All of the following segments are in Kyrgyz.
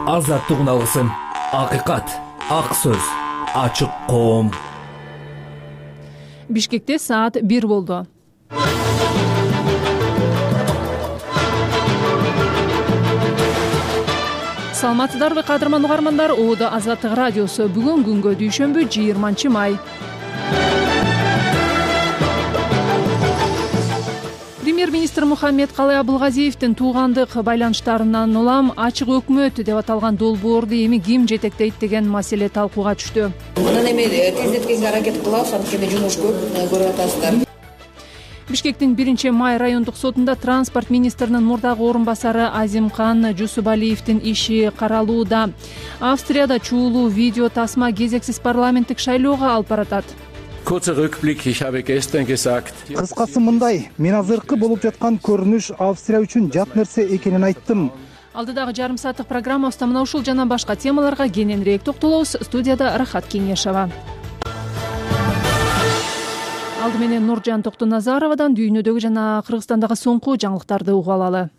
азаттык үналысын, акыйкат, ак сөз, ачык коом. Бишкекте саат 1 болду. Саламатсыздарбы кадырман угармандар, Оодо Азаттык радиосу. Бүгүн күнгө дүйшөмбү 20 май. Премьер-министр Мухаммед Калай Абылгазиевдин туугандык байланыштарынан улам ачык өкмөт деп аталган долбоорду эми ким жетектейт деген маселе талкууга түштү. Анан эми тездеткенге аракет кылабыз, анткени жумуш көп, көрүп атасыздар. Бишкектин 1-май райондук сотунда транспорт министринин мурдагы орун басары Азимкан Жусубалиевдин иши каралууда. Австрияда чуулуу видео тасма кезексиз парламенттик шайлоого алып баратат. Kurzer Rückblick, ich habe gestern gesagt. Кыскасы мындай, мен азыркы болуп жаткан көрүнүш Австрия үчүн жат нерсе экенин айттым. Алдыдагы жарым сааттык программабызда мына ушул жана башка темаларга кененирээк токтолобуз. Студияда Рахат Кеңешова. Алды менен Нуржан Токтоназаровадан дүйнөдөгү жана Кыргызстандагы соңку жаңылыктарды угуп алалы.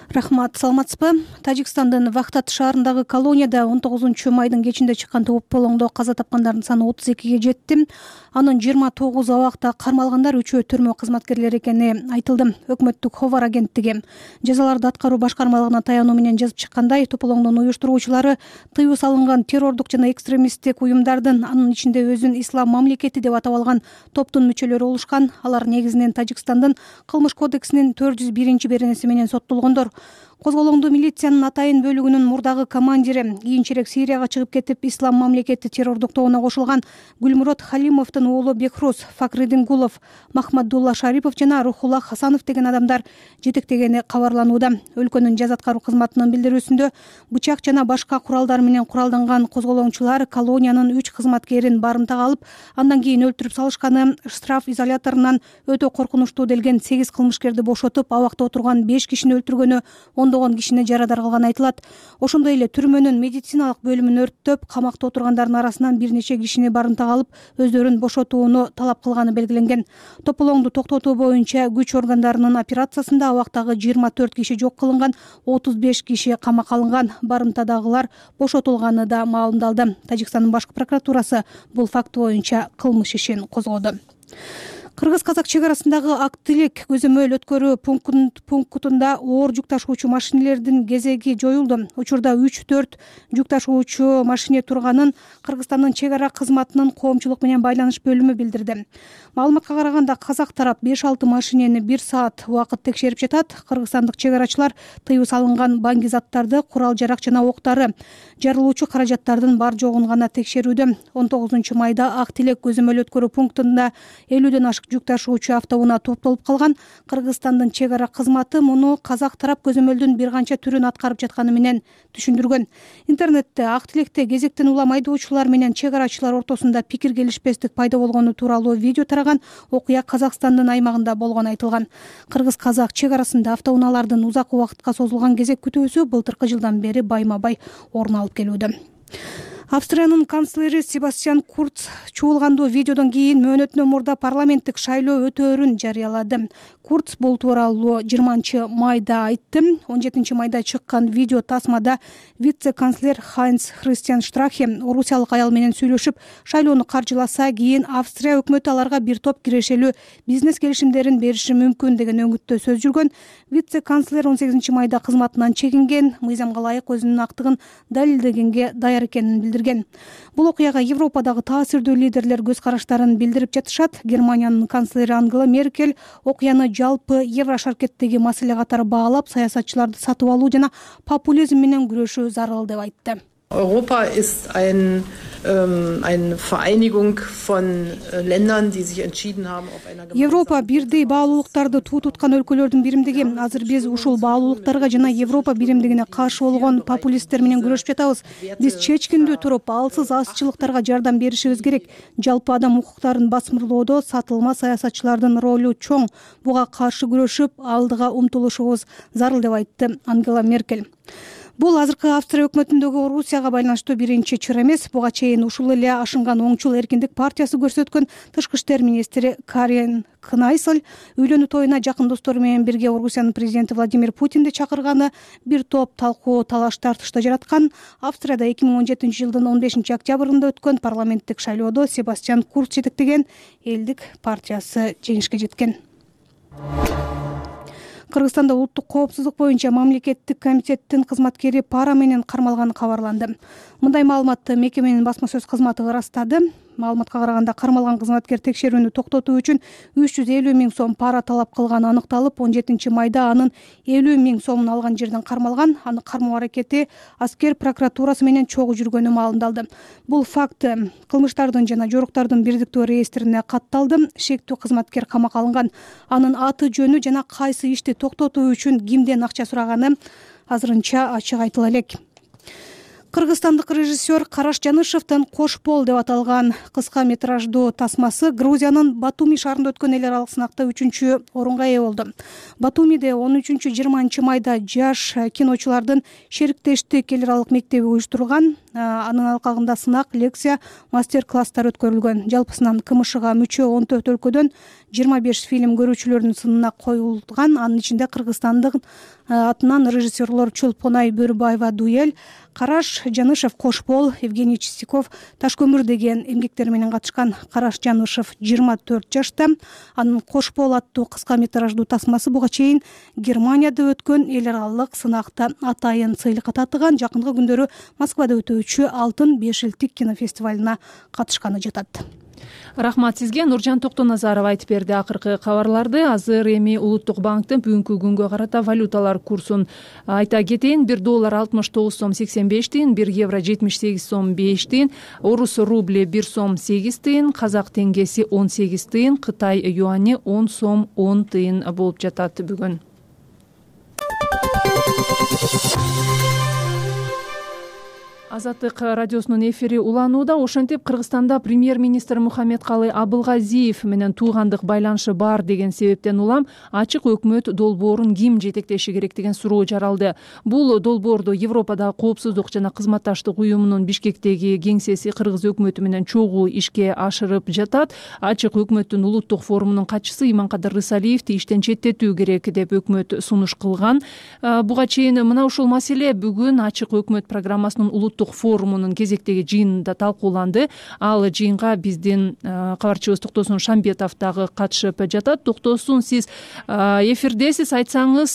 Рахмат, саламатсызбы? Тажикстандын Вахтат шаарындагы колонияда 19-майдын кечинде чыккан тополоңдо каза тапкандардын саны 32ге жетти. Анын 29 абакта кармалгандар 3-өө түрмө кызматкерлери экени айтылды. Өкмөттүк Ховар агенттиги жазаларды аткаруу башкармалыгына таянуу менен жазып чыккандай, тополоңдун уюштуруучулары тыюу салынган террордук жана экстремисттик уюмдардын, анын ичинде өзүн ислам мамлекети деп атап алган топтун мүчөлөрү болушкан. Алар негизинен Тажикстандын кылмыш кодексинин 401-беренеси менен соттолгондор. Козголоңду милициянын Атайын бөлүгүнүн мурдагы командири, кийинчерээк Сирияга чыгып кетип, ислам мамлекети террордук тобуна кошулган Гүлмурод Халимовдун уулу Бекрус, Факридин Гулов, Махмадулла Шарипов жана Рухулла Хасанов деген адамдар жетектегени кабарланууда. Өлкөнүн жаза аткаруу кызматынын билдирүүсүндө бычак жана башка куралдар менен куралданган козголоңчулар колониянын 3 кызматкерин барымтага алып, андан кийин өлтүрүп салышканы, штраф изоляторунан өтө коркунучтуу делген 8 кылмышкерди бошотуп, абакта отурган 5 кишини өлтүргөнү, ондогон кишини жарадар кылганы айтылат. Ошондой эле түрмөнүн медициналык бөлүмүн өрттөп, камакта отургандардын арасынан бир нече кишини барымтага алып, өздөрүн бошотууну талап кылганы белгиленген. Тополоңду токтотуу боюнча күч органдарынын операциясында абактагы 24 киши жок кылынган, 35 киши камакка алынган, барымтадагылар бошотулганы да маалымдалды. Тажикстандын башкы прокуратурасы бул факт боюнча кылмыш ишин козгоду. Кыргыз-казак чек арасындагы Ак Тилек көзөмөл өткөрүү пунктунда оор жүк ташуучу машинелердин кезеги жоюлду. Учурда 3-4 жүк ташуучу машине турганын Кыргызстандын чек ара кызматынын коомчулук менен байланыш бөлүмү билдирди. Маалыматка караганда, казак тарап 5-6 машинени 1 саат убакыт текшерип жатат. Кыргызстандык чек арачылар тыюу салынган баңги заттарды, курал-жарак жана октары, жарылуучу каражаттардын бар жогун гана текшерүүдө. 19-майда Ак Тилек көзөмөл өткөрүү пунктунда 50ден ашык жүк ташуучу автоунаа топтолуп калган. Кыргызстандын чек ара кызматы муну казак тарап көзөмөлдүн бир канча түрүн аткарып жатканы менен түшүндүргөн. Интернетте Ак Тилекте кезектен улам айдоочулар менен чек арачылар ортосунда пикир келишпестик пайда болгону тууралуу видео тараган. Окуя Казакстандын аймагында болгону айтылган. Кыргыз-казак чек арасында автоунаалардын узак убакытка созулган кезек күтүүсү былтыркы жылдан бери байма-бай орун алып келүүдө. Австриянын канцлери Себастьян Курц чуулгандуу видеодон кийин мөөнөтүнөн мурда парламенттик шайлоо өтөөрүн жарыялады. Курц бул тууралуу 20-майда айтты. 17-майда чыккан видео тасмада вице-канцлер Хайнц Христиан Штрахе орусиялык аял менен сүйлөшүп, шайлоону каржыласа, кийин Австрия өкмөтү аларга бир топ кирешелүү бизнес келишимдерин бериши мүмкүн деген өңүттө сөз жүргөн. Вице-канцлер 18-майда кызматынан чегинген, мыйзамга ылайык өзүнүн актыгын далилдегенге даяр экенин билдирген. Бул окуяга Европадагы таасирдүү лидерлер көз караштарын билдирип жатышат. Германиянын канцлери Ангела Меркель окуяны жалпы Еврошаркеттеги маселе катары баалап, саясатчыларды сатып алуу жана популизм менен күрөшүү зарыл деп айтты. Europa ist eine Vereinigung von Ländern, die sich entschieden haben auf einer Европа бирдей баалуулуктарды туу туткан өлкөлөрдүн биримдиги. Азыр биз ушул баалуулуктарга жана Европа биримдигине каршы болгон популисттер менен күрөшүп жатабыз. Биз чечкиндүү туруп, алсыз азчылыктарга жардам беришибиз керек. Жалпы адам укуктарын басмырлоодо сатылма саясатчылардын ролу чоң. Буга каршы күрөшүп, алдыга умтулушубуз зарыл деп айтты Ангела Меркель. Бул азыркы Австрия өкмөтүндөгү Орусияга байланыштуу биринчи чыр эмес. Буга чейин ушул эле ашынган оңчул эркиндик партиясы көрсөткөн тышкы иштер министри Карен Кнайсель үйлөнүү тоюна жакын достору менен бирге Орусиянын президенти Владимир Путинди чакырганы бир топ талкуу талаш тартышты жараткан. Австрияда 2017-жылдын 15 октябрында өткөн парламенттик шайлоодо Себастьян Курц жетектеген элдик партиясы жеңишке жеткен. Кыргызстанда улуттук коопсуздук боюнча мамлекеттик комитеттин кызматкери пара менен кармалганы кабарланды. Мындай маалыматты мекеменин басма сөз кызматы ырастады. Маалыматка караганда кармалган кызматкер текшерүүнү токтотуу үчүн 350 миң сом пара талап кылганы аныкталып, 17 майда анын 50 миң сомун алган жерден кармалган. Аны кармоо аракети аскер прокуратурасы менен чогуу жүргөнү маалымдалды. Бул факт кылмыштардын жана жоруктардын бирдиктүү реестрине катталды. Шектүү кызматкер камакка алынган. Анын аты жөнү жана кайсы ишти токтотуу үчүн кимден акча сураганы азырынча ачык айтыла элек. Кыргызстандык режиссер Караш Жанышевдин «Кош бол» деп аталган кыска метраждуу тасмасы Грузиянын Батуми шаарында өткөн эл аралык сынакта 3-чү орунга ээ болду. Батумиде 13-20 майда жаш киночулардын шериктештик эл аралык мектеби уюштурган. Анын алкагында сынак, лекция, мастер-класстар өткөрүлгөн. Жалпысынан КМШга мүчө 14 өлкөдөн 25 фильм көрүүчүлөрдүн сынына коюлган. Анын ичинде Кыргызстандык атынан режиссерлор Чолпонай Бөрүбаева «Дуэль», Караш Жанышев «Кош бол», Евгений Чистяков «Таш көмүр» деген эмгектери менен катышкан. Караш Жанышев 24 жашта. Анын «Кош бол» аттуу кыска метраждуу тасмасы буга чейин Германияда өткөн эл аралык сынакта атайын сыйлыкка татыган. Жакынкы күндөрү Москвада өтүүчү Алтын бешилтик кинофестивалына катышканы жатат. Рахмат сизге. Нуржан Токтоназаров айтып берди акыркы кабарларды. Азыр эми Улуттук банктын бүгүнкү күнгө карата валюталар курсун айта кетейин. 1 доллар 69 сом 85 тыйын, 1 евро 78 сом 5 тыйын, орус рубли 1 сом 8 тыйын, казак теңгеси 18 тыйын, Кытай юани 10 сом 10 тыйын болуп жатат бүгүн. Азаттык радиосунун эфири уланууда. Ошентип Кыргызстанда премьер-министр Мухаммедкалый Абылгазиев менен туугандык байланышы бар деген себептен улам ачык өкмөт долбоорун ким жетектеши керек деген суроо жаралды. Бул долбоорду Европадагы коопсуздук жана кызматташтык уюмунун Бишкектеги кеңсеси Кыргыз өкмөтү менен чогуу ишке ашырып жатат. Ачык өкмөттүн улуттук форумунун катчысы Иманкадыр Рысалиевди иштен четтетүү керек деп өкмөт сунуш кылган. Буга чейин мына ушул маселе бүгүн ачык өкмөт программасынын улуттук форумунун кезектеги жыйынында талкууланды. Ал жыйынга биздин кабарчыбыз Токтосун Шамбетов дагы катышып жатат. Токтосун, сиз эфирдесиз, айтсаңыз,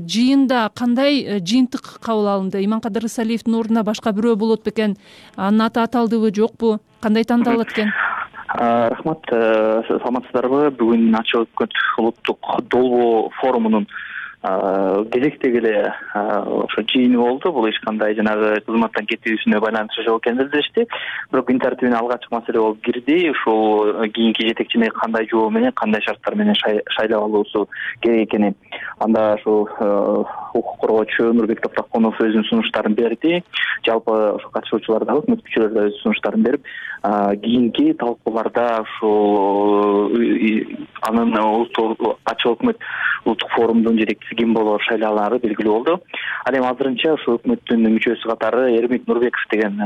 жыйында кандай жыйынтык кабыл алынды? Иманкадыр Рысалиевдин ордуна башка бирөө болот бекен? Анын аты аталдыбы, жокпу? Кандай тандалат экен? Рахмат, саламатсыздарбы? Бүгүн ачык өкмөт улуттук долбоо форумунун кезектеги эле ошо жыйыны болду. Бул эч кандай жанагы кызматтан кетүүсүнө байланышы жок экенин билдиришти. Бирок күн тартибине алгачкы маселе болуп кирди. Ушул кийинки жетекчини кандай жоо менен, кандай шарттар менен шайлап алуусу керек экени. Анда ошо укук коргоочу Нурбек Топуракунов өзүнүн сунуштарын берди. Жалпы ошо катышуучулар да, өкмөт мүчөлөрү да өз сунуштарын берип, кийинки талкууларда ушул анын ачык өкмөт улуттук форумдун жетекчиси ким болоор шайлаалары белгилүү болду. Ал эми азырынча ошо өкмөттүн мүчөсү катары Эрмит Нурбеков деген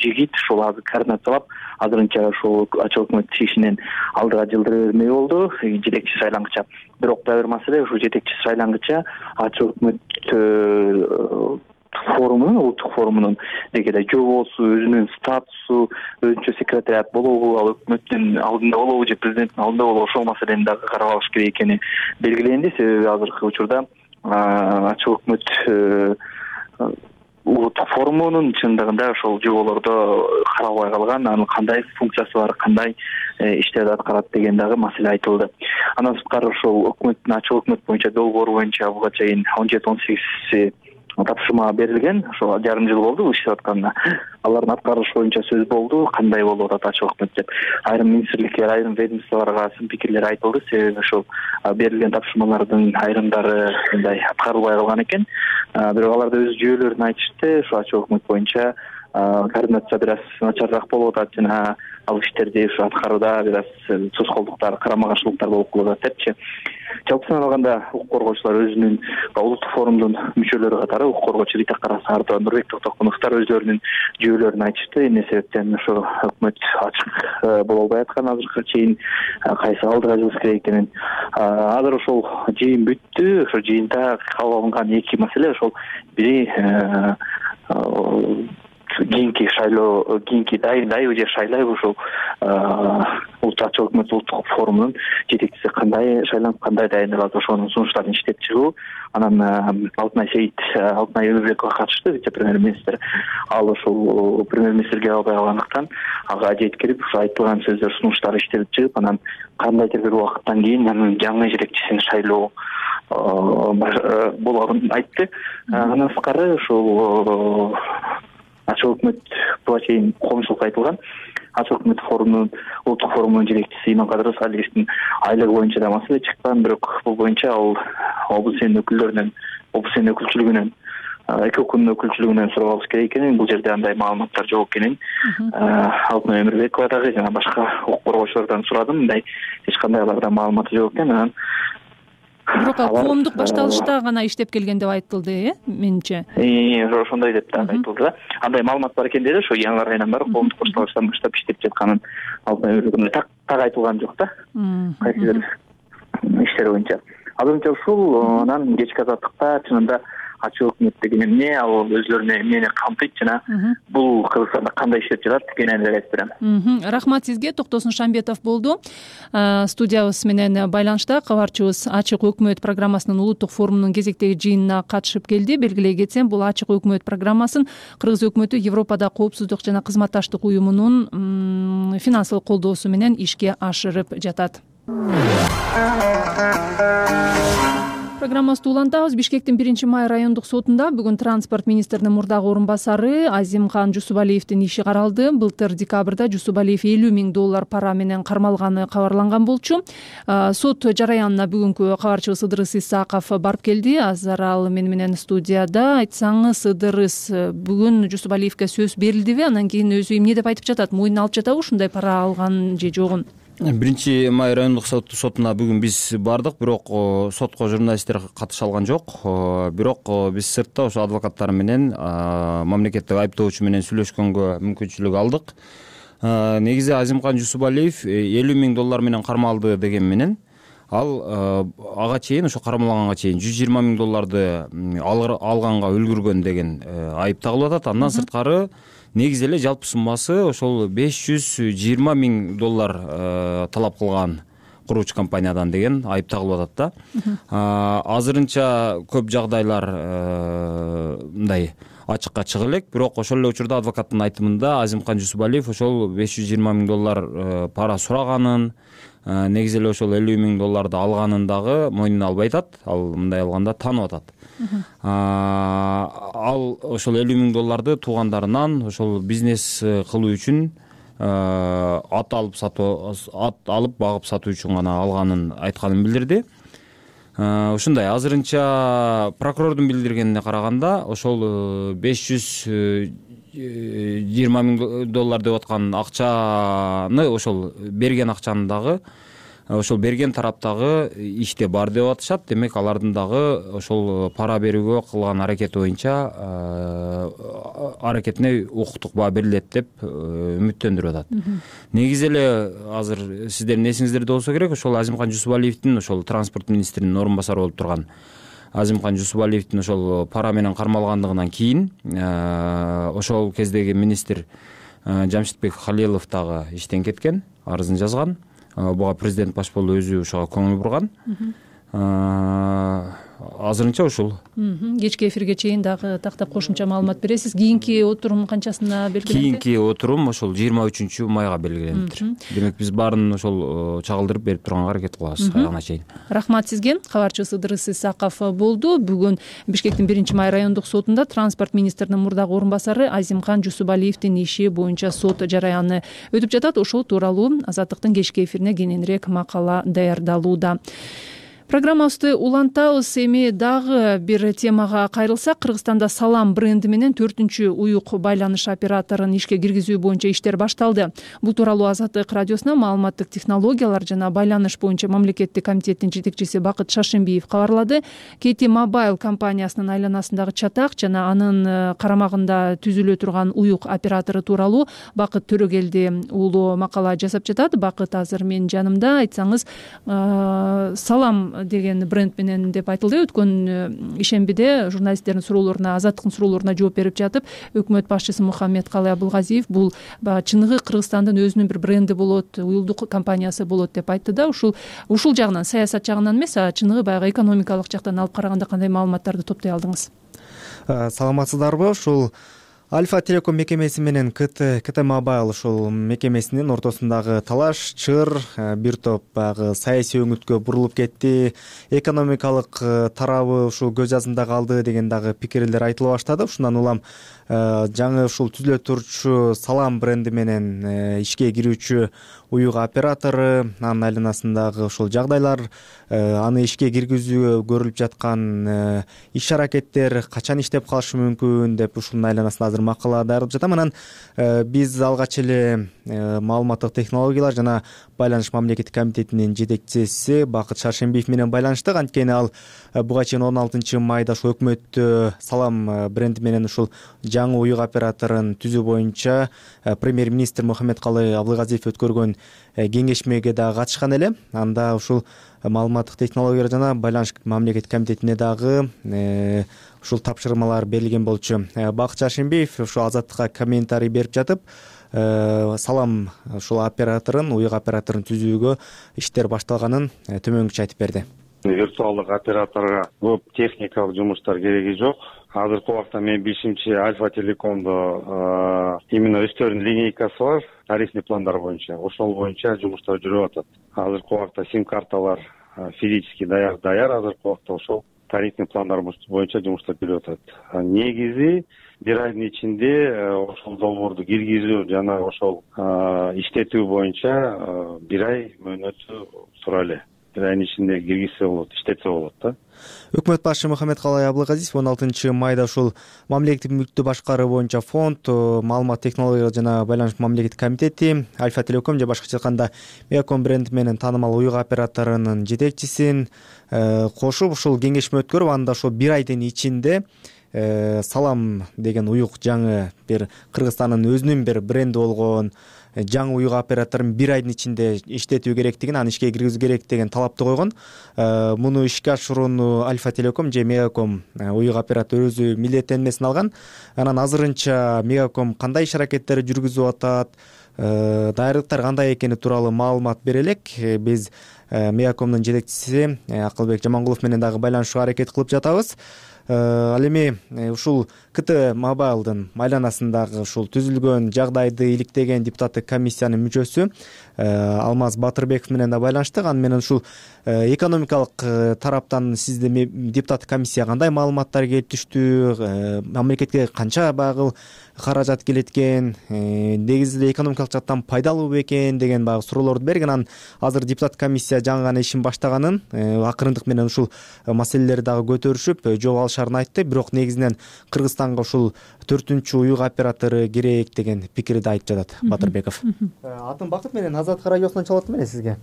жигит ушул азыр координациялап, азырынча ушул ачык өкмөт ишинен алдыга жылдыра бермей болду, жетекчи шайлангыча. Бирок дагы бир маселе, ушул жетекчи шайлангыча ачык өкмөт форумунун, улуттук форумунун дегенде жобосу, өзүнүн статусу, өзүнчө секретариат болобу, ал өкмөттүн алдында болобу же президенттин алдында болобу, ошол маселени дагы карап алыш керек экени белгиленди. Себеби азыркы учурда ачык өкмөт улуттук форумунун чындыгында ошол жоболордо каралбай калган, анын кандай функциясы бар, кандай иштерди аткарат деген дагы маселе айтылды. Андан сырткары ошол өкмөттүн ачык өкмөт боюнча долбоор боюнча буга чейин 17-18 тапшырма берилген. Ошо жарым жыл болду иштеп атканына. Алардын аткарышы боюнча сөз болду, кандай болуп атат ачык өкмөт деп. Айрым министрликтер, айрым ведомстволорго сын пикирлер айтылды. Себеби ошол берилген тапшырмалардын айрымдары мындай аткарылбай калган экен. Бирок алар да өз жүйөлөрүн айтышты. Ошо ачык өкмөт боюнча координация бир аз начарыраак болуп атат жана ал иштерди ушу аткарууда бир аз тоскоолдуктар, карама каршылыктар болуп калып ататчы. Жалпысынан алганда укук коргоочулар өзүнүн улуттук форумдун мүчөлөрү катары укук коргоочу Рита Карасаардоо, Нурбек Токтокуновдор өздөрүнүн жүйөлөрүн айтышты. Эмне себептен ошо өкмөт ачык боло албай аткан азыркыга чейин, кайсы алдыга жылыш керек экенин. Азыр ошол жыйын бүттү. Ошо жыйында кабыл алынган эки маселе ошол бири кийинки шайлоо, кийинки дайыбы же шайлайбы ушул ачык өкмөт улуттук форумунун жетекчиси кандай шайланып, кандай дайындалат, ошонун сунуштарын иштеп чыгуу. Анан Алтынай Өмүрбекова катышты, вице-премьер-министр. Ал ошол премьер-министрге албай калгандыктан ага жеткирип, ушу айтылган сөздөр, сунуштар иштелип чыгып, анан кандайдыр бир убакыттан кийин анын жаңы жетекчисин шайлоо болоорун айтты. Андан сырткары ушул ачык өкмөт буга чейин коомчулукка айтылган ачык өкмөт форумунун улуттук форумунун жетекчиси Иманкадыр Салиевдин айлыгы боюнча да маселе чыккан, бирок бул боюнча ал облус сенин өкүлчүлүгүнөн эки укуктун өкүлчүлүгүнөн сурабабыз керек экенин, бул жерде андай маалыматтар жок экенин Алтынай Өмүрбекова дагы жана башка укук коргоочулардан сурадым. Мындай эч кандай аларда маалыматы жок экен. Анан бирок ал коомдук башталышта гана иштеп келген деп айтылды, менимче. Ошондой деп да айтылды да. Андай маалымат бар экен деди, ошо яңгыр айынан бери коомдук башталыштан баштап иштеп жатканын так айтылган жок да. Кайсы бир иштер боюнча. Азырынча ушул. Анан кечки азаттыкта чынында ачык өкмөт деген эмне, ал өзлөрүнө эмнени камтыйт жана бул Кыргызстанда кандай иштеп жатат дегенди айтып берем. Рахмат сизге. Токтосун Шамбетов болду студиябыз менен байланышта. Кабарчыбыз ачык өкмөт программасынын улуттук форумунун кезектеги жыйынына катышып келди. Белгилей кетсем, бул ачык өкмөт программасын Кыргыз өкмөтү Европада коопсуздук жана кызматташтык уюмунун финансылык колдоосу менен ишке ашырып жатат. Программабызды улантабыз. Бишкектин 1-май райондук сотунда бүгүн транспорт министринин мурдагы орун басары Азимкан Жусубалиевдин иши каралды. Былтыр декабрда Жусубалиев $50 000 пара менен кармалганы кабарланган болчу. Сот жараянына бүгүнкү кабарчыбыз Ыдырыс Исаков барып келди. Азыр ал менен студияда. Айтсаңыз, Ыдырыс, бүгүн Жусубалиевге сөз берилдиби? Анан кийин өзү эмне деп айтып жатат? Мойнуна алып жатабы ушундай пара алган же жогун? 1-май райондук сотуна бүгүн биз бардык, бирок сотко журналисттер катыша алган жок. Бирок биз сыртта ошо адвокаттар менен мамлекеттик айыптоочу менен сүйлөшкөнгө мүмкүнчүлүк алдык. Негизи Азимкан Жусубалиев $50 000 менен кармалды деген менен ал ага чейин, ошо кармалганга чейин $120 000 алганга үлгүргөн деген айып тагылып атат. Андан сырткары негизи эле жалпы суммасы ошол $520 000 талап кылган курууч компаниядан деген айып тагылып атат да. Азырынча көп жагдайлар мындай ачыкка чыга элек, бирок ошол эле учурда адвокаттын айтымында Азимкан Жусубалиев ошол $520 000 пара сураганын, негизи эле ошол $50 000 алганын дагы мойнуна албай атат. Ал мындай алганда таанып атат. Ал ошол $50 000 туугандарынан ошол бизнес кылуу үчүн ат алып багып сатуу үчүн гана алганын айтканын билдирди. Ушундай азырынча прокурордун билдиргенине караганда ошол $520 000 деп аткан акчаны, ошол берген акчаны дагы ошол берген тараптагы иште бар деп атышат. Демек алардын дагы ошол пара берүүгө кылган аракети боюнча аракетине укуктук баа берилет деп үмүттөндүрүп атат. Негизи эле азыр сиздердин эсиңиздерде болсо керек, ошол Азимкан Жусубалиевдин ошол транспорт министринин орун басары болуп турган Азимкан Жусубалиевдин ошол пара менен кармалгандыгынан кийин ошол кездеги министр Жамшитбек Халилов дагы иштен кеткен, арызын жазган. Буга президент баш болду өзү ошого көңүл бурган. Азырынча ушул. Кечки эфирге чейин дагы тактап кошумча маалымат бересиз. Кийинки отурум канчасына белгиленди? Кийинки отурум ошол 23-майга белгилениптир. Демек биз баарын ошол чагылдырып берип турганга аракет кылабыз аяна чейин. Рахмат сизге. Кабарчыбыз Ыдырыс Исаков болду. Бүгүн Бишкектин 1-май райондук сотунда транспорт министринин мурдагы орун басары Азимкан Жусубалиевдин иши боюнча сот жараяны өтүп жатат. Ошол тууралуу Азаттыктын кечки эфирине кененирээк макала даярдалууда. Программабызды улантабыз. Эми дагы бир темага кайрылсак, Кыргызстанда Салам бренди менен 4-чү уюк байланыш операторун ишке киргизүү боюнча иштер башталды. Бул тууралуу Азаттык радиосуна маалыматтык технологиялар жана байланыш боюнча мамлекеттик комитеттин жетекчиси Бакыт Шаршембиев кабарлады. KT Mobile компаниясынын айланасындагы чатак жана анын карамагында түзүлө турган уюк оператору тууралуу Бакыт Төрөгелди уулу макала жасап жатат. Бакыт азыр менин жанымда. Айтсаңыз, Салам деген бренд менен деп айтылды. Өткөн ишембиде журналисттердин суроолоруна, Азаттыктын суроолоруна жооп берип жатып, өкмөт башчысы Мухаммедкалый Абылгазиев бул чыныгы Кыргызстандын өзүнүн бир бренди болот, уюлдук компаниясы болот деп айтты да. Ушул жагынан, саясат жагынан эмес, чыныгы баягы экономикалык жактан алып караганда кандай маалыматтарды топтой алдыңыз? Саламатсыздарбы? Ушул Альфа Телеком мекемеси менен KT Mobile ушул мекемесинин ортосундагы талаш, чыр, бир топ баягы саясий өңүткө бурулуп кетти, экономикалык тарабы ушул көз жазында калды деген дагы пикирлер айтыла баштады. Ушундан улам жаңы ушул түзүлө турчу Салам бренди менен ишке кирүүчү уюк оператору, анын айланасындагы ушул жагдайлар, аны ишке киргизүүгө көрүлүп жаткан иш аракеттер качан иштеп калышы мүмкүн деп ушунун айланасында азыр макала даярдап жатам. Анан биз алгач эле маалыматтык технологиялар жана байланыш мамлекеттик комитетинин жетекчиси Бакыт Шаршембиев менен байланыштык. Анткени ал буга чейин 16 майда ушул өкмөттө Салам бренди менен ушул жаңы уюк операторун түзүү боюнча премьер-министр Мухаммедкалый Абылгазиев өткөргөн кеңешмеге да катышкан эле. Анда ушул маалыматтык технологиялар жана байланыш мамлекеттик комитетине дагы ушул тапшырмалар берилген болчу. Бакыт Шаршембиев ушул Азаттыкка комментарий берип жатып, Салам ушул операторун, уюк операторун түзүүгө иштер башталганын төмөнгүчө айтып берди. Виртуалдык операторго көп техникалык жумуштар кереги жок. Азыркы убакта менин билишимче Альфа Телекомдо именно өздөрүнүн линейкасы бар, тарифный пландар боюнча. Ошол боюнча жумуштар жүрүп атат. Азыркы убакта сим-карталар физически даяр. Азыркы убакта ошол тарифный пландар боюнча жумуштар жүрүп атат. Негизи бир айдын ичинде ошол долбоорду киргизүү жана ошол иштетүү боюнча бир ай мөөнөтү тура эле. Бир айдын ичинде киргизсе болот, иштетсе болот да. Өкмөт башчы Мухаммедкалый Абылгазиев 16 майда ушул мамлекеттик мүлктү башкаруу боюнча фонд, маалымат технологиялар жана байланыш мамлекеттик комитети, Альфа Телеком же башкача айтканда Мегаком бренди менен таанымал уюк операторунун жетекчисин кошуп ушул кеңешме өткөрүп, анда ошол бир айдын ичинде Салам деген уюк жаңы бир Кыргызстандын өзүнүн бир бренди болгон жаңы уюк операторун бир айдын ичинде иштетүү керектигин, аны ишке киргизүү керек деген талапты койгон. Муну ишке ашырууну Альфа Телеком же Мегаком уюк оператору өзү милдеттенмесин алган. Анан азырынча Мегаком кандай иш аракеттер жүргүзүп атат, даярдыктар кандай экени тууралуу маалымат бере элек. Биз Мегакомдун жетекчиси Акылбек Жамангулов менен дагы байланышууга аракет кылып жатабыз. Ал эми ушул KT Mobile'дын айланасындагы ушул түзүлгөн жагдайды иликтеген депутаттык комиссиянын мүчөсү Алмаз Батырбеков менен да байланыштык. Аны менен ушул экономикалык тараптан сизде депутаттык комиссия кандай маалыматтар келип түштү, мамлекетке канча багыл каражат келет экен, негизи экономикалык жактан пайдалуу бекен деген баягы суроолорду берген. Анан азыр депутаттык комиссия жаңы гана ишин баштаганын, акырындык менен ушул маселелерди дагы көтөрүшүп жооп алышарын айтты. Бирок негизинен Кыргызстанга ушул 4-чү уюк оператору керек деген пикирди айтып жатат Батырбеков. Атын Бакыт менен Азаттык радиосунан чалып атам эле сизге.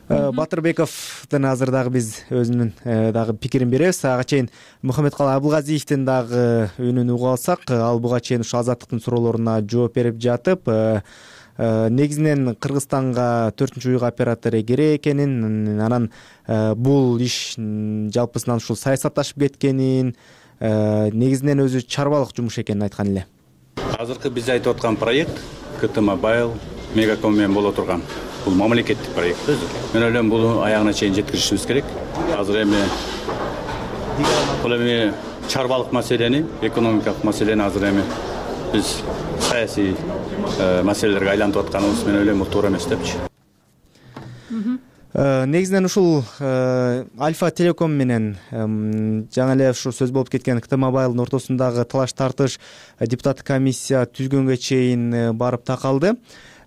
Батырбековдун азыр дагы биз өзүнүн дагы пикирин беребиз. Ага чейин Мухаммедкалый Абылгазиевдин дагы үнүн угуп алсак, ал буга чейин ушу Азаттыктын суроолоруна жооп берип жатып, негизинен Кыргызстанга 4-чү уюк оператору керек экенин, анан бул иш жалпысынан ушул саясатташып кеткенин, негизинен өзү чарбалык жумуш экенин айткан эле. Азыркы биз айтып аткан проект KT Mobile Мегаком менен боло турган бул мамлекеттик проект өзү. Мен ойлойм бул аягына чейин жеткиришибиз керек. Азыр эми чарбалык маселени, экономикалык маселени азыр эми биз саясий маселелерге айлантып атканыбыз мен ойлойм бул туура эмес депчи. Негизинен ушул Альфа Телеком менен жаңы эле ушу сөз болуп кеткен KT Mobile'дын ортосундагы талаш тартыш депутаттык комиссия түзгөнгө чейин барып такалды.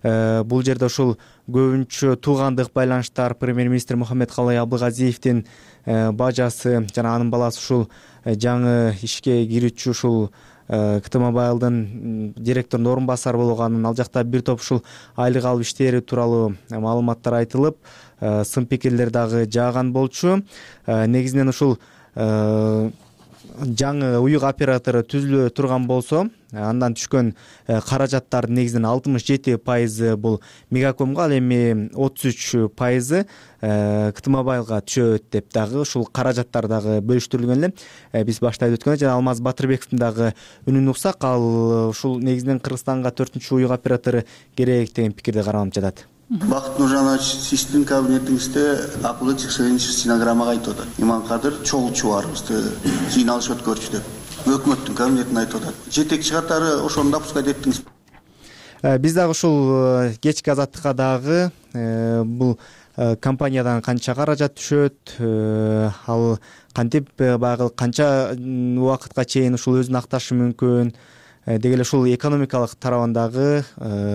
Бул жерде ушул көбүнчө туугандык байланыштар, премьер-министр Мухаммедкалый Абылгазиевдин бажасы жана анын баласы ушул жаңы ишке кирүүчү ушул КТ-Мобайлдын директорунун орун басары болгонун, ал жакта бир топ ушул айлык алып иштери тууралуу маалыматтар айтылып, сын пикирлер дагы жааган болчу. Негизинен ушул жаңы уюк оператору түзүлө турган болсо, андан түшкөн каражаттардын негизинен 67% бул Мегакомго, ал эми 33% КТ-Мобайлга түшөт деп дагы ушул каражаттар дагы бөлүштүрүлгөн эле. Биз башта айтып өткөндөй, жана Алмаз Батырбековдун дагы үнүн уксак, ал ушул негизинен Кыргызстанга 4-үчү уюк оператору керек деген пикирди карманып жатат. Бакыт Нуржанович, сиздин кабинетиңизде акылы стенограммага айтып атат. Иманкадыр чогул чубарыбызды жыйналыш өткөрчү деп. Өкмөттүн кабинетине айтып атат. Жетекчи катары ошону да пускай эттиңиз. Биз дагы ушул кечки азаттыкка дагы бул компаниядан канча каражат түшөт, ал кантип баягы канча убакытка чейин ушул өзүн акташы мүмкүн деги эле ушул экономикалык тарабындагы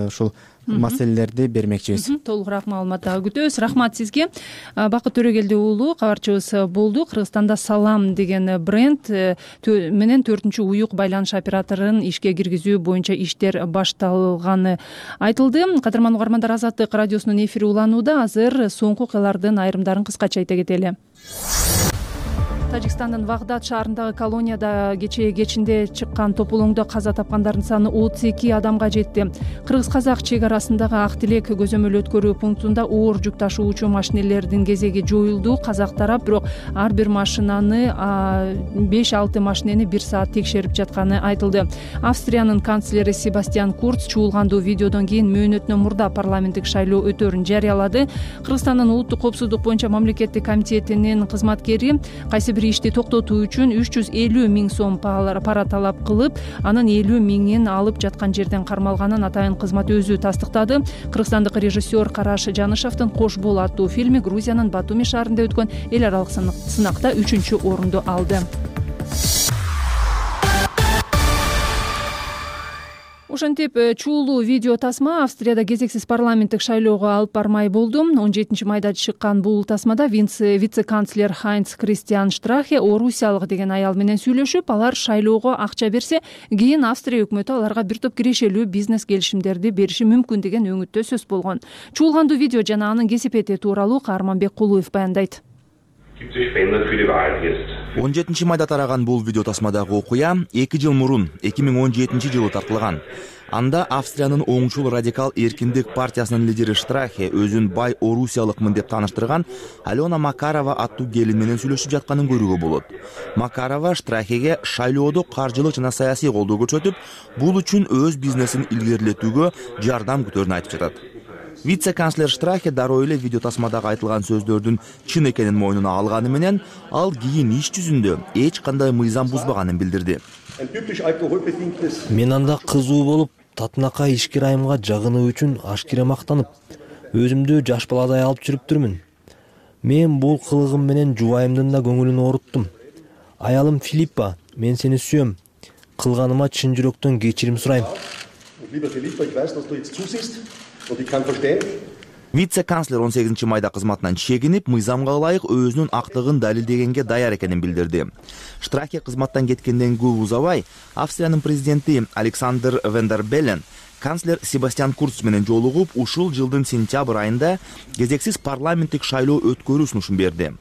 ушул маселелерди бермекчибиз. Толугураак маалымат дагы күтөбүз. Рахмат сизге. Бакыт Төрөгелди уулу кабарчыбыз болду. Кыргызстанда Салам деген бренд менен 4-үчү уюк байланыш операторун ишке киргизүү боюнча иштер башталганы айтылды. Кадырман угармандар, Азаттык радиосунун эфири уланууда. Азыр соңку окуялардын айрымдарын кыскача айта кетели. Тажикстандын Вагдат шаарындагы колонияда кечинде чыккан тополоңдо каза тапкандардын саны 32 адамга жетти. Кыргыз-казак чек арасындагы Ак Тилек көзөмөл өткөрүү пунктунда оор жүк ташуучу машинелердин кезеги жоюлду. Казак тарап бирок ар бир машинаны 5-6 машинени 1 саат текшерип жатканы айтылды. Австриянын канцлери Себастьян Курц чуулгандуу видеодон кийин мөөнөтүнөн мурда парламенттик шайлоо өтөөрүн жарыялады. Кыргызстандын улуттук коопсуздук боюнча мамлекеттик комитетинин кызматкери кайсы бир ишти токтотуу үчүн 350 000 сом пара талап кылып, анын 50 000-ин алып жаткан жерден кармалганын атайын кызмат өзү тастыктады. Кыргызстандык режиссер Караш Жанышевдин Кош бол аттуу фильми Грузиянын Батуми шаарында өткөн эл аралык сынакта 3-орунду алды. Ошентип чуулуу видео тасма Австрияда кезексиз парламенттик шайлоого алып бармай болду. 17-майда чыккан бул тасмада вице-канцлер Хайнц Кристиан Штрахе орусиялык деген аял менен сүйлөшүп, алар шайлоого акча берсе, кийин Австрия өкмөтү аларга бир топ кирешелүү бизнес келишимдерди бериши мүмкүн деген өңүттө сөз болгон. Чуулгандуу видео жана анын кесипети тууралуу Каарманбек Кулуев баяндайт. 17 майда тараган бул видео тасмадагы окуя 2 жыл мурун 2017 жылы тартылган. Анда Австриянын оңчул радикал эркиндик партиясынын лидери Штрахе өзүн бай орусиялыкмын деп тааныштырган Алена Макарова аттуу келин менен сүйлөшүп жатканын көрүүгө болот. Макарова Штрахеге шайлоодо каржылык жана саясий колдоо көрсөтүп, бул үчүн өз бизнесин илгерилетүүгө жардам күтөөрүн айтып жатат. Вице-канцлер Штрахе дароо эле видео тасмадагы айтылган сөздөрдүн чын экенин мойнуна алганы менен, ал кийин иш жүзүндө эч кандай мыйзам бузбаганын билдирди. Мен анда кызуу болуп, татынакай ишкер айымга жагынуу үчүн ашкере мактанып, өзүмдү жаш баладай алып жүрүптүрмүн. Мен бул кылыгым менен жубайымдын да көңүлүн ооруттум. Аялым Филиппа, мен сени сүйөм. Кылганыма чын жүрөктөн кечирим сурайм. Вице-канцлер 18 майда кызматынан чегинип, мыйзамга ылайык өзүнүн актыгын далилдегенге даяр экенин билдирди. Штрахе кызматтан кеткенден көп узабай, Австриянын президенти Александр Ван дер Беллен канцлер Себастьян Курц менен жолугуп, ушул жылдын сентябрь айында кезексиз парламенттик шайлоо өткөрүү сунушун берди.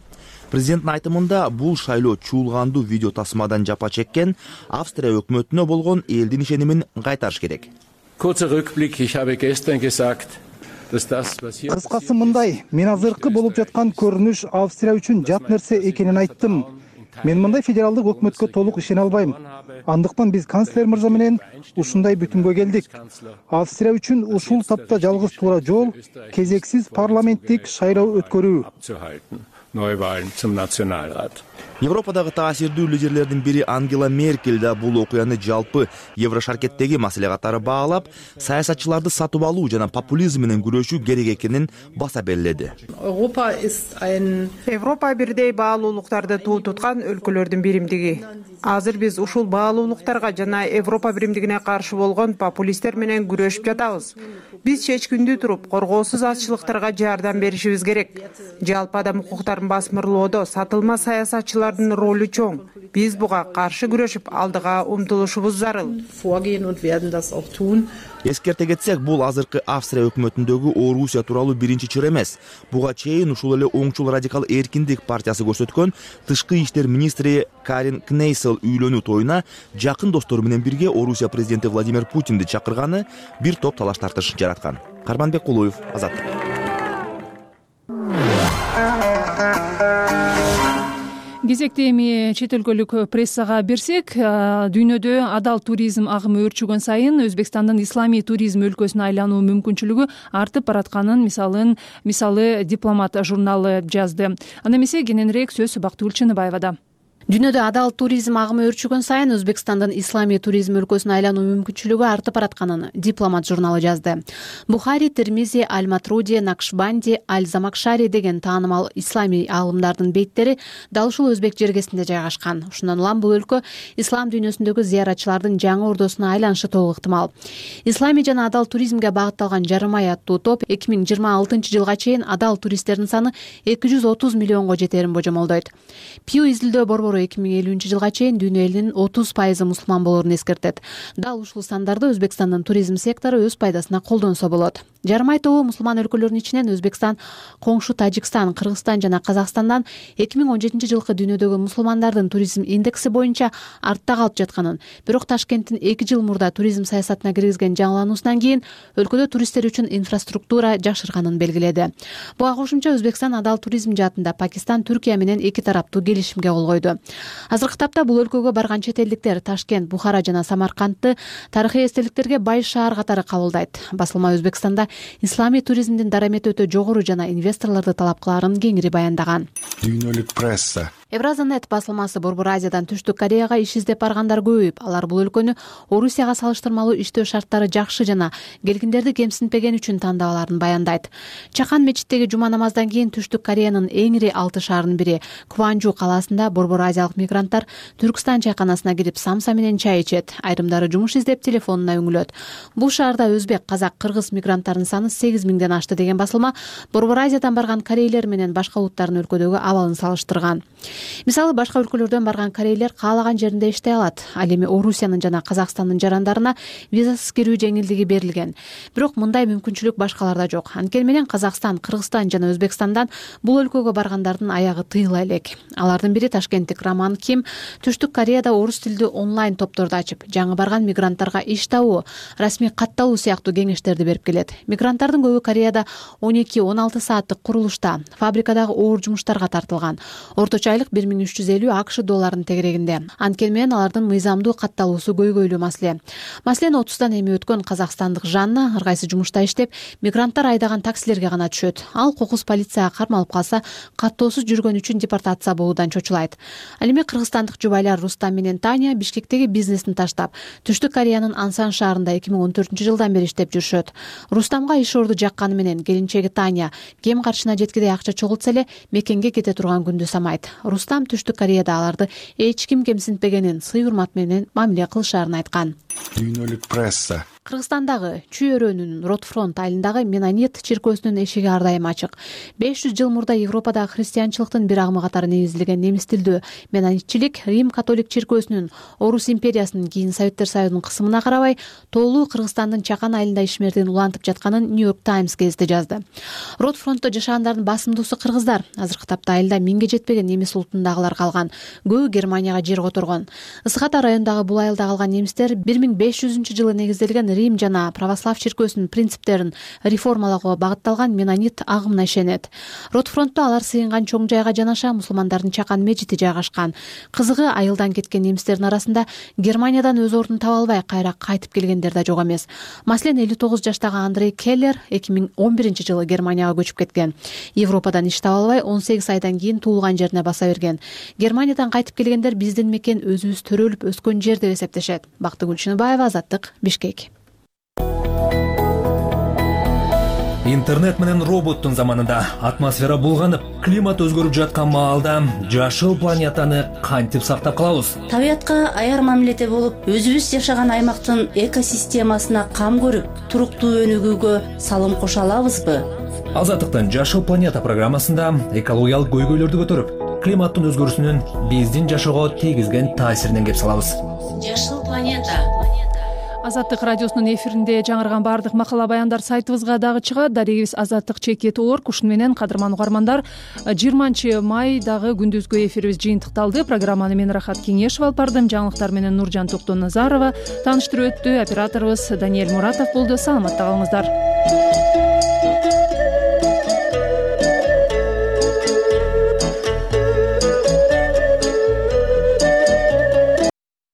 Президенттин айтымында, бул шайлоо чуулгандуу видео тасмадан жапа чеккен Австрия өкмөтүнө болгон элдин ишенимин кайтарыш керек. Kurzer Rückblick, ich habe gestern gesagt, dass das, was hier Кыскасы мындай, мен азыркы болуп жаткан көрүнүш Австрия үчүн жат нерсе экенин айттым. Мен мындай федералдык өкмөткө толук ишене албайм. Андыктан биз канцлер мырза менен ушундай бүтүмгө келдик. Австрия үчүн ушул тапта жалгыз туура жол кезексиз парламенттик шайлоо өткөрүү. Neuwahlen zum Nationalrat. Европадагы таасирдүү лидерлердин бири Ангела Меркель да бул окуяны жалпы Еврошаркеттеги маселе катары баалап, саясатчыларды сатып алуу жана популизм менен күрөшүү керек экенин баса белгиледи. Европа бирдей баалуулуктарды туу туткан өлкөлөрдүн биримдиги. Азыр биз ушул баалуулуктарга жана Европа биримдигине каршы болгон популисттер менен күрөшүп жатабыз. Биз чечкиндүү туруп, коргоосуз азчылыктарга жардам беришибиз керек. Жалпы адам укуктарын басмырлоодо сатылма саясатчылардын ролу чоң. Биз буга каршы күрөшүп, алдыга умтулушубуз зарыл. Эскерте кетсек, бул азыркы Австрия өкмөтүндөгү Орусия тууралуу биринчи чыр эмес. Буга чейин ушул эле оңчул радикал эркиндик партиясы көрсөткөн тышкы иштер министри Карин Кнейсел үйлөнүү тоюна жакын достору менен бирге Орусия президенти Владимир Путинди чакырганы бир топ талаш тартыш жараткан. Карманбек Кулуев, Азаттык. Кезекте эми чет өлкөлүк прессага берсек, дүйнөдө адал туризм агымы өрчүгөн сайын Өзбекстандын исламий туризм өлкөсүнө айлануу мүмкүнчүлүгү артып баратканын мисалы Дипломат журналы жазды. Анда эмесе кененирээк сөз Бактыгүл Чыныбаевада. Дүйнөдө адал туризм агымы өрчүгөн сайын Өзбекстандын исламий туризм өлкөсүнө айлануу мүмкүнчүлүгү артып баратканын Дипломат журналы жазды. Бухари, Термизи, Аль-Матруди, Накшбанди, Аль-Замакшари деген таанымал исламий аалымдардын бейттери дал ушул өзбек жергесинде жайгашкан. Ушундан улам бул өлкө ислам дүйнөсүндөгү зыяратчылардын жаңы ордосуна айланышы толук ыктымал. Исламий жана адал туризмге багытталган жарым ай аттуу топ 2026 жылга чейин адал туристтердин саны 230 миллионго жетерин божомолдойт. Пью изилдөө борбору 2050 жылга чейин дүйнө элинин 30% мусулман болоорун эскертет. Дал ушул сандарды Өзбекстандын туризм сектору өз пайдасына колдонсо болот. Жарым ай тобу мусулман өлкөлөрүнүн ичинен Өзбекстан, коңшу Тажикстан, Кыргызстан жана Казакстандан 2017 жылкы дүйнөдөгү мусулмандардын туризм индекси боюнча артта калып жатканын, бирок Ташкенттин 2 жыл мурда туризм саясатына киргизген жаңылануусунан кийин өлкөдө туристтер үчүн инфраструктура жакшырганын белгиледи. Буга кошумча Өзбекстан адал туризм жаатында Пакистан, Түркия менен эки тараптуу келишимге кол койду. Азыркы тапта бул өлкөгө барган чет элдиктер Ташкент, Бухара жана Самаркандты тарыхый эстеликтерге бай шаар катары кабылдайт. Басылма Өзбекстанда исламий туризмдин дарамети өтө жогору жана инвесторлорду талап кылаарын кеңири баяндаган. Дүйнөлүк пресса. Евразанет басылмасы Борбор Азиядан Түштүк Кореяга иш издеп баргандар көбөйүп, алар бул өлкөнү Орусияга салыштырмалуу иштөө шарттары жакшы жана келгиндерди кемсинтпеген үчүн тандабаларын баяндайт. Чакан мечиттеги жума намаздан кийин Түштүк Кореянын эң ири 6 шаарынын бири Кванжу калаасында Борбор Азиялык мигранттар Түркстан чайканасына кирип самса менен чай ичет. Айрымдары жумуш издеп телефонуна үңүлөт. Бул шаарда өзбек, казак, кыргыз мигранттарынын саны 8 миңден ашты деген басылма Борбор Азиядан барган корейлер менен башка улуттардын өлкөдөгү абалын салыштырган. Мисалы, башка өлкөлөрдөн барган корейлер каалаган жеринде иштей алат. Ал эми Орусиянын жана Казакстандын жарандарына визасыз кирүү жеңилдиги берилген. Бирок мындай мүмкүнчүлүк башкаларда жок. Анткени менен Казакстан, Кыргызстан жана Өзбекстандан бул өлкөгө баргандардын аягы тыйыла элек. Алардын бири ташкенттик Роман Ким Түштүк Кореяда орус тилдүү онлайн топторду ачып, жаңы барган мигранттарга иш табуу, расмий катталуу сыяктуу кеңештерди берип келет. Мигранттардын көбү Кореяда 12-16 сааттык курулушта, фабрикадагы оор жумуштарга тартылган. Орточо айлык 1350 АКШ долларынын тегерегинде. Анткени менен алардын мыйзамдуу катталуусу көйгөйлүү маселе. Маселени 30-дан эми өткөн казакстандык Жанна ар кайсы жумушта иштеп, мигранттар айдаган таксилерге гана түшөт. Ал кокус полицияга кармалып калса, каттоосуз жүргөн үчүн депортация болуудан чочулайт. Ал эми кыргызстандык жубайлар Рустам менен Таня Бишкектеги бизнесин таштап, Түштүк Кореянын Ансан шаарында 2014 жылдан бери иштеп жүрүшөт. Рустамга иш орду жакканы менен келинчеги Таня кем каршына жеткидей акча чогултса эле мекенге кете турган күндү самайт. Рустам Түштүк Кореяда аларды эч ким кемсинтпегенин, сый урмат менен мамиле кылышаарын айткан. Дүйнөлүк пресса. Кыргызстандагы Чүй өрөөнүнүн Ротфронт айылындагы Менонит чиркөөсүнүн эшиги ар дайым ачык. 500 жыл мурда Европадагы христианчылыктын бир агымы катары негизилген немис тилдүү менонитчилик Рим католик чиркөөсүнүн Орус империясынын кийин Советтер Союзунун кысымына карабай тоолуу Кыргызстандын Чакан айылында ишмердин улантып жатканын Нью-Йорк Таймс гезити жазды. Ротфронтто жашагандардын басымдуусу кыргыздар. Азыркы тапта айылда 1000ге жетпеген немис улутундагылар калган. Көбү Германияга жер которгон. Ысык-Ата районундагы бул айылда калган немистер 1500-жылы негизделген Рим жана православ чиркөөсүнүн принциптерин реформалоого багытталган менонит агымына ишенет. Ротфронтто алар сыйынган чоң жайга жанаша мусулмандардын Чакан мечити жайгашкан. Кызыгы, айылдан кеткен немистердин арасында Германиядан өз ордун таба албай кайра кайтып келгендер да жок эмес. Маселен, 59 жаштагы Андрей Келлер 2011 жылы Германияга көчүп кеткен. Европадан иш таба албай 18 айдан кийин туулган жерине баса берген. Германиядан кайтып келгендер биздин мекен өзүбүз төрөлүп өскөн жер деп эсептешет. Бактыгүл Чыныбаева, Азаттык, Бишкек. Интернет менен роботтун заманында атмосфера булганып, климат өзгөрүп жаткан маалда жашыл планетаны кантип сактап калабыз? Табиятка аяр мамиледе болуп, өзүбүз жашаган аймактын экосистемасына кам көрүп, туруктуу өнүгүүгө салым кошо алабызбы? Азаттыктын Жашыл планета программасында экологиялык көйгөйлөрдү көтөрүп, климаттын өзгөрүүсүнүн биздин жашоого тийгизген таасиринен кеп салабыз. Жашыл планета. Азаттык радиосунун эфиринде жаңырган баардык макала баяндар сайтыбызга дагы чыгат. Дарегибиз azаттык.org. Ушуну менен кадырман угармандар, 20 майдагы күндүзгү эфирибиз жыйынтыкталды. Программаны мен Рахат Кеңешов алып бардым. Жаңылыктар менен Нуржан Токтоназарова тааныштырып өттү. Операторубуз Даниэль Муратов болду. Саламатта калыңыздар.